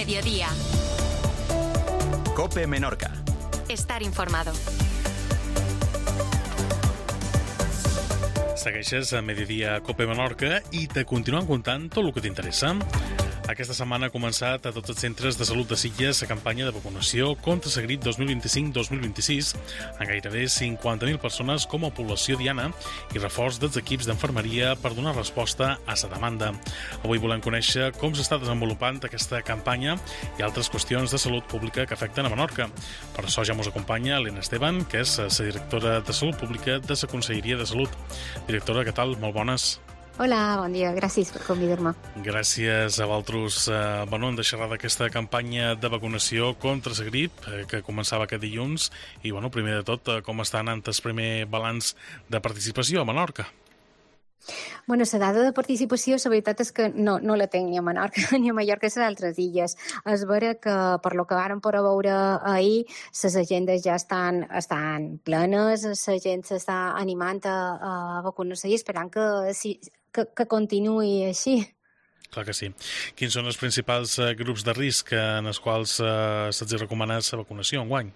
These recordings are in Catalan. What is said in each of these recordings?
mediodía. COPE Menorca. Estar informado. Segueixes a Mediodía COPE Menorca i te continuem contant tot el que t'interessa. Aquesta setmana ha començat a tots els centres de salut de Sitges la campanya de vacunació contra la grip 2025-2026 amb gairebé 50.000 persones com a població diana i reforç dels equips d'enfermeria per donar resposta a la demanda. Avui volem conèixer com s'està desenvolupant aquesta campanya i altres qüestions de salut pública que afecten a Menorca. Per això ja ens acompanya Elena Esteban, que és la directora de Salut Pública de la Conselleria de Salut. Directora, què tal? Molt bones. Hola, bon dia. Gràcies per convidar-me. Gràcies a vosaltres en deixar d'aquesta campanya de vacunació contra la grip que començava aquest dilluns i, primer de tot, com està anant el primer balanç de participació a Menorca? La dada de participació, la veritat és que no la tinc ni a Menorca ni a Mallorca, les altres illes. És vera que, per lo que vàrem poder veure ahir, les agendes ja estan plenes, la gent s'està animant a vacunar-se i esperant que continuï així. Clar que sí. Quins són els principals grups de risc en els quals se'ls recomana la vacunació enguany?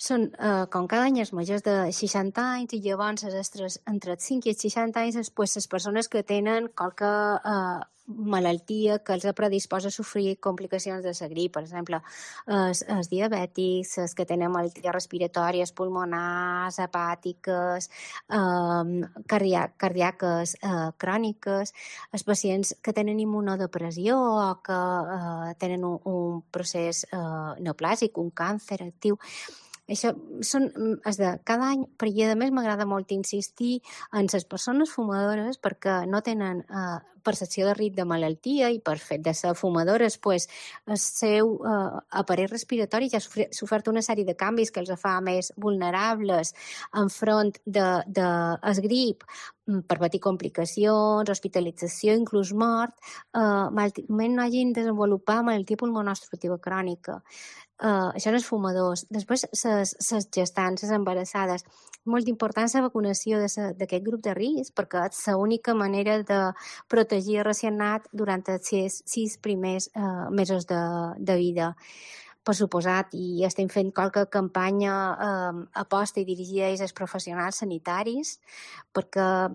Són, com cada any, els majors de 60 anys i llavors entre els 5 i els 60 anys les persones que tenen qualque malaltia que els predisposa a sofrir complicacions de la grip, per exemple, els diabètics, els que tenen malalties respiratòries, pulmonars, hepàtiques, cardíaques, cròniques, els pacients que tenen immunodepressió o que tenen un procés neoplàsic, un càncer actiu. Això són els de cada any, però a més m'agrada molt insistir en les persones fumadores perquè no tenen percepció de risc de malaltia i per fet de ser fumadores el seu aparell respiratori ja ha sofert una sèrie de canvis que els fa més vulnerables enfront del grip per patir complicacions, hospitalització, inclús mort, malament no hagin desenvolupat malaltia pulmonar obstructiva crònica. Això són els fumadors. Després, les gestants, les embarassades. Molt important la vacunació d'aquest grup de risc perquè és l'única manera de protegir el racionat durant els 6 primers mesos de vida. Per suposat, i estem fent qualque campanya aposta i dirigida als professionals sanitaris perquè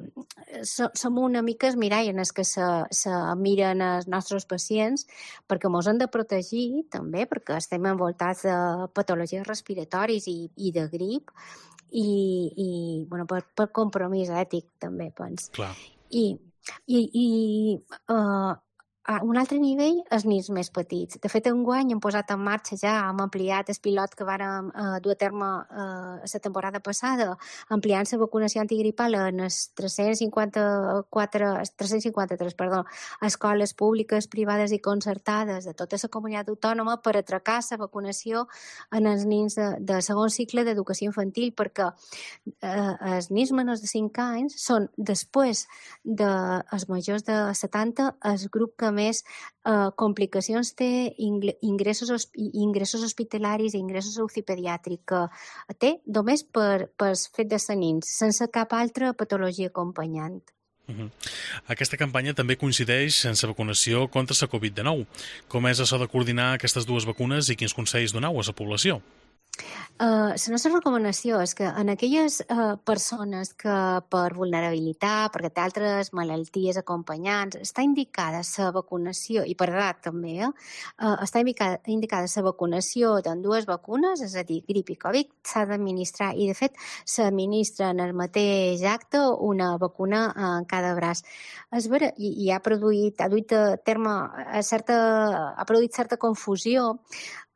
som una mica els mirall en els que se miren els nostres pacients perquè ens hem de protegir també perquè estem envoltats de patologies respiratoris i de grip i per compromís ètic també, penso. Clar. Un altre nivell, els nens més petits. De fet, enguany hem posat en marxa ja, hem ampliat el pilot que vàrem dur a terme la temporada passada, ampliant la vacunació antigripal en les 353 escoles públiques, privades i concertades de tota la comunitat autònoma per atracar la vacunació en els nens de segon cicle d'educació infantil, perquè els nens menors de 5 anys són, després dels majors de 70, el grup que més complicacions té, ingressos hospitalaris i ingressos a UCI pediàtric té només per fet de ser nens, sense cap altra patologia acompanyant. Aquesta campanya també coincideix en la vacunació contra la Covid-19. Com és això de coordinar aquestes dues vacunes i quins consells doneu a la població? La nostra recomanació és que en aquelles persones que per vulnerabilitat, perquè té altres malalties acompanyants, està indicada la vacunació, i per edat també, està indicada la vacunació d'ambdues vacunes, és a dir, grip i Covid, s'ha d'administrar, i de fet s'administra en el mateix acte una vacuna en cada braç. És vera, i ha produït certa confusió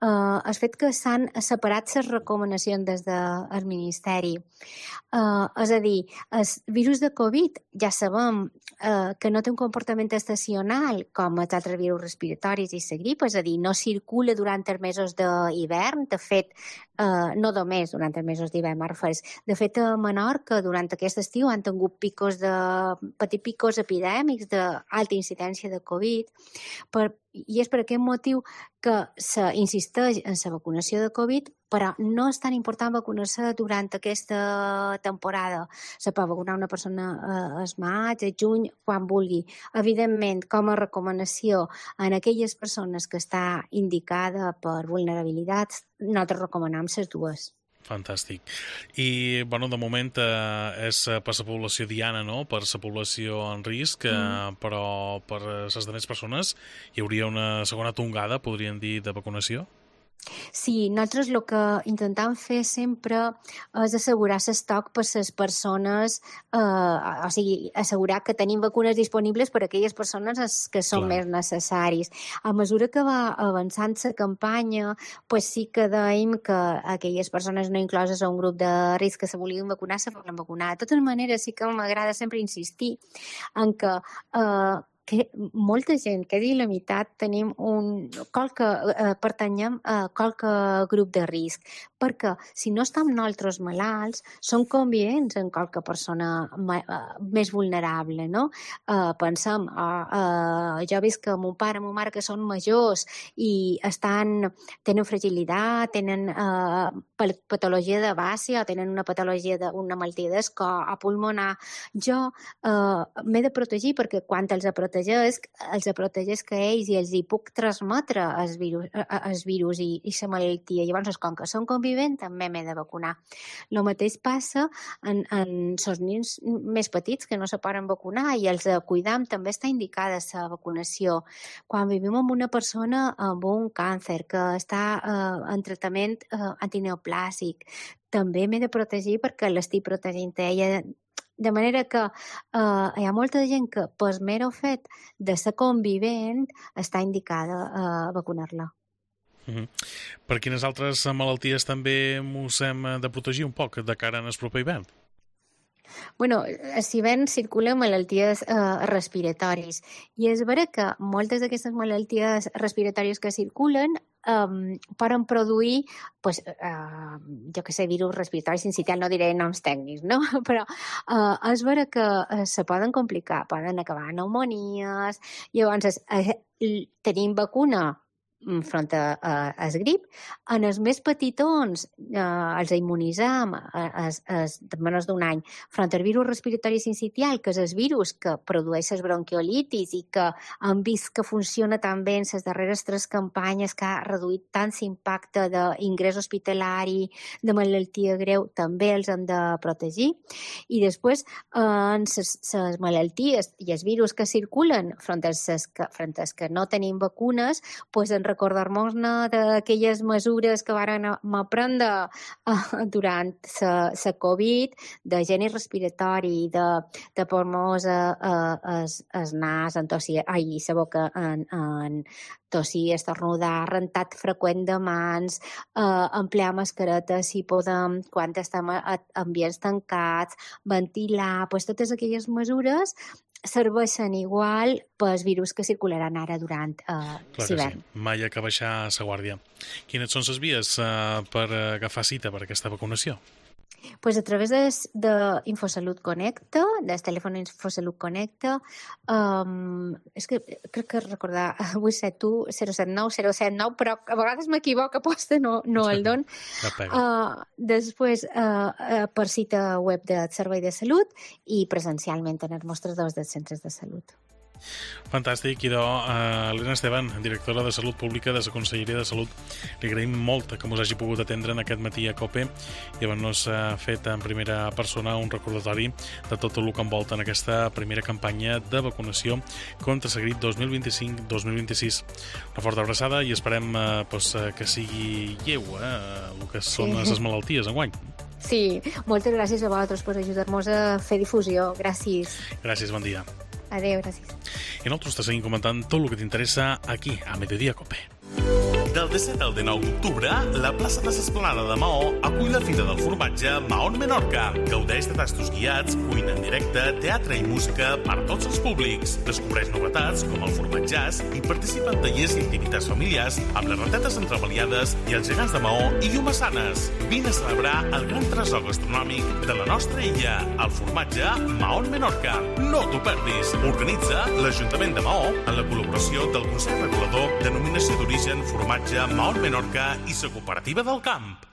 el fet que s'han separat les recomanacions des del Ministeri. És a dir, el virus de Covid ja sabem que no té un comportament estacional com els altres virus respiratoris i la grip, és a dir, no circula durant els mesos d'hivern, de fet, no només durant els mesos d'hivern, de fet, a Menorca, durant aquest estiu, han tingut petits picos epidèmics d'alta incidència de Covid, I és per aquest motiu que s'insisteix en la vacunació de Covid, però no és tan important vacunar-se durant aquesta temporada. Se pot vacunar una persona al maig, al juny, quan vulgui. Evidentment, com a recomanació en aquelles persones que està indicada per vulnerabilitats, nosaltres recomanem les dues. Fantàstic. I, de moment és per la població diana, no? Per la població en risc, però per les altres persones hi hauria una segona tongada, podríem dir, de vacunació? Sí, nosaltres el que intentem fer sempre és assegurar l'estoc per les persones, o sigui, assegurar que tenim vacunes disponibles per a aquelles persones que són més necessaris. A mesura que va avançant la campanya, pues sí que dèiem que aquelles persones no incloses a un grup de risc que se volien vacunar, se volen vacunar. De totes maneres, sí que m'agrada sempre insistir en que molta gent, que dir la meitat, tenim pertanyem a qualque grup de risc, perquè si no estem nosaltres malalts, som convivents amb qualque persona més vulnerable, no? Pensem, jo he vist que mon pare i ma mare que són majors i tenen fragilitat, tenen patologia de base o tenen una patologia una malaltia d'escor o pulmonar. Jo m'he de protegir perquè quan els protegeix que ells i els hi puc transmetre el virus i la malaltia. Llavors, com que són convivents, també m'he de vacunar. El mateix passa en els nens més petits que no se poden vacunar i els de cuidar també està indicada la vacunació. Quan vivim amb una persona amb un càncer que està en tractament antineoplàsic, també m'he de protegir perquè l'estic protegint ella. De manera que hi ha molta gent que, per mero fet de ser convivent, està indicada a vacunar-la. Per quines altres malalties també ens hem de protegir un poc de cara al proper hivern? Bueno, si ben circulen malalties respiratòries i és vera que moltes d'aquestes malalties respiratòries que circulen poden produir, jo que sé, virus respiratoris sincitial, no diré noms tècnics, no? Però és vera que se poden complicar, poden acabar pneumonies. Llavors, tenim vacuna front al grip. En els més petitons els immunitzam de menys d'un any front al virus respiratori sincitial, que és el virus que produeix les bronquiolitis i que hem vist que funciona tan bé en les darreres 3 campanyes, que ha reduït tant l'impacte d'ingrés hospitalari, de malaltia greu, també els hem de protegir. I després, en les malalties i els virus que circulen front als que no tenim vacunes, doncs recordar-nos-ne d'aquelles mesures que varen prendre durant la Covid, de higiene respiratori, de pulmons al nas, en tossir, la boca, en tossir, estornudar, rentat freqüent de mans, emplear mascaretes si podem, quan estem en ambients tancats, ventilar, totes aquelles mesures serveixen igual pels virus que circularan ara durant l'hivern. Sí. Mai ha que baixar la guàrdia. Quines són les vies per agafar cita per aquesta vacunació? Pues a través d'Infosalut Connecta, del telèfon Infosalut Connecta, és que crec que recordar 871 079 079, però a vegades m'equivoco, posta no el don. Després, per cita web del Servei de Salut i presencialment en els mostradors dels centres de salut. Fantàstic. Idò, Elena Esteban, directora de Salut Pública de la Conselleria de Salut, li agraïm molt que ens hagi pogut atendre en aquest matí a COPE i haver-nos fet en primera persona un recordatori de tot el que envolta en aquesta primera campanya de vacunació contra la grip 2025-2026. Una forta abraçada i esperem que sigui lleu el que són les malalties enguany. Sí, moltes gràcies a vosaltres per ajudar-nos a fer difusió. Gràcies. Gràcies, bon dia. Adéu, gràcies. I nosaltres te seguim comentant tot el que t'interessa aquí, a Mediodía Cope. Del 17 al 19 d'octubre, la plaça de l'Esplanada de Maó acull la Fira del Formatge Mahón Menorca. Gaudeix de tastos guiats, cuina en directe, teatre i música per a tots els públics. Descobreix novetats com el formatjàs i participa en tallers i activitats familiars amb les ratetes entremaliades i els gegants de Maó i Llumassanes. Vine a celebrar el gran tresor gastronòmic de la nostra illa, el formatge Mahón Menorca. No t'ho perdis. Organitza l'Ajuntament de Maó en la col·laboració del Consell Regulador, Denominació d'Origen, Formatge Mahón Menorca i la Cooperativa del Camp.